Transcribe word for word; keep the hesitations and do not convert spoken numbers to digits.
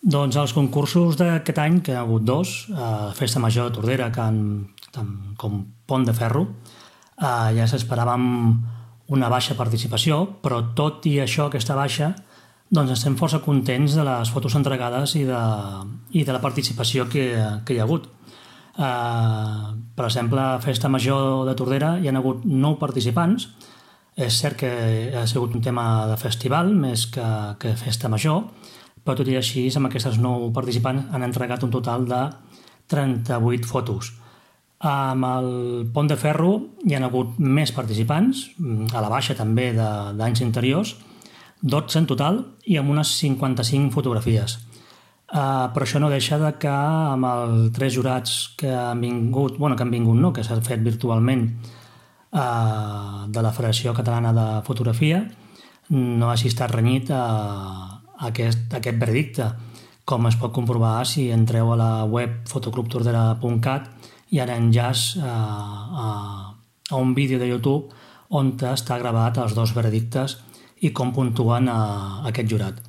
Doncs els concursos d'aquest any, que hi ha hagut dos, a Festa Major de Tordera, Can, com Pont de Ferro, eh, ja s'esperàvem una baixa participació, però tot i això, aquesta baixa, doncs estem força contents de les fotos entregades i de, i de la participació que, que hi ha hagut. Eh, per exemple, a Festa Major de Tordera hi ha hagut nou participants. És cert que ha sigut un tema de festival més que, que Festa Major, però tot i així, amb aquestes nou participants han entregat un total de trenta-vuit fotos. Amb el Pont de Ferro hi ha hagut més participants, a la baixa també d'anys anteriors, dotze en total i amb unes cinquanta-cinc fotografies. Uh, però això no deixa de que amb els tres jurats que han vingut, bueno, que han vingut no, que s'ha fet virtualment uh, de la Federació Catalana de Fotografia, no hagi estat renyit a uh, Aquest, aquest veredicte, com es pot comprovar si entreu a la web fotoclub tordera punt cat i ara enllaç a, a, a un vídeo de YouTube on està gravat els dos veredictes i com puntuen a, a aquest jurat.